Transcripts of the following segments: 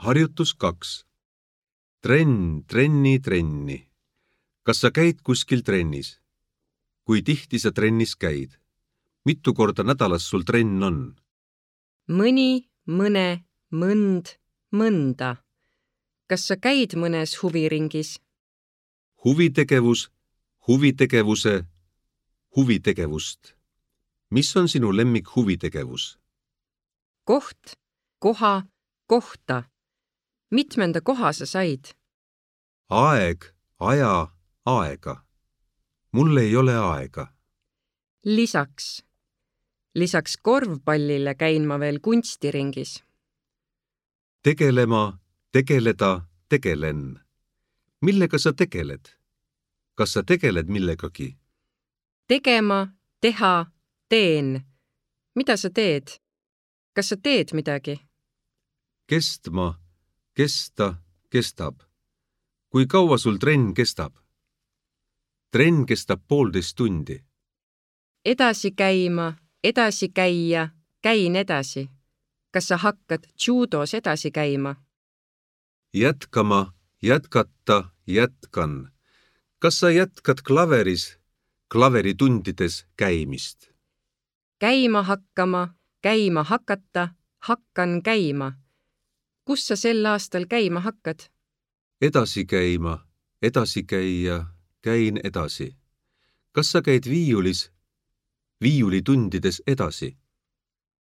Harjutus 2. Trenn, trenni. Kas sa käid kuskil trennis? Kui tihti sa trennis käid? Mitu korda nädalas sul trenn on? Mõni, mõne, mõnd, mõnda. Kas sa käid mõnes huviringis? Huvitegevus, huvitegevuse, huvitegevust. Mis on sinu lemmik huvitegevus? Koht, koha, kohta. Mitmenda koha sa said? Aeg, aja, aega. Mul ei ole aega. Lisaks korvpallile käin ma veel kunstiringis. Tegelema, tegeleda, tegelen. Millega sa tegeled? Kas sa tegeled millegagi? Tegema, teha, teen. Mida sa teed? Kas sa teed midagi? Kestma, kesta, kestab. Kui kaua sul trenn kestab? Trenn kestab 1,5 tundi. Edasi käima, edasi käia, käin edasi. Kas sa hakkad judos edasi käima? Jätkama, jätkata, jätkan. Kas sa jätkad klaveritundides käimist? Käima hakkama, käima hakata, hakkan käima. Kus sa sel aastal käima hakkad? Edasi käima, edasi käia, käin edasi. Kas sa käid viiulitundides edasi?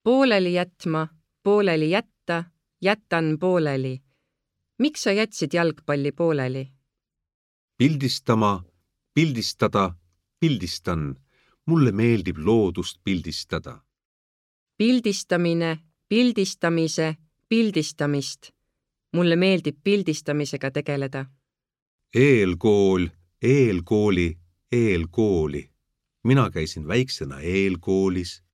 Pooleli jätma, pooleli jätta, jätan pooleli. Miks sa jätsid jalgpalli pooleli? Pildistama, pildistada, pildistan. Mulle meeldib loodust pildistada. Pildistamine, pildistamise, pildistamist. Mulle meeldib pildistamisega tegeleda. Eelkool, eelkooli, eelkooli. Mina käisin väiksena eelkoolis.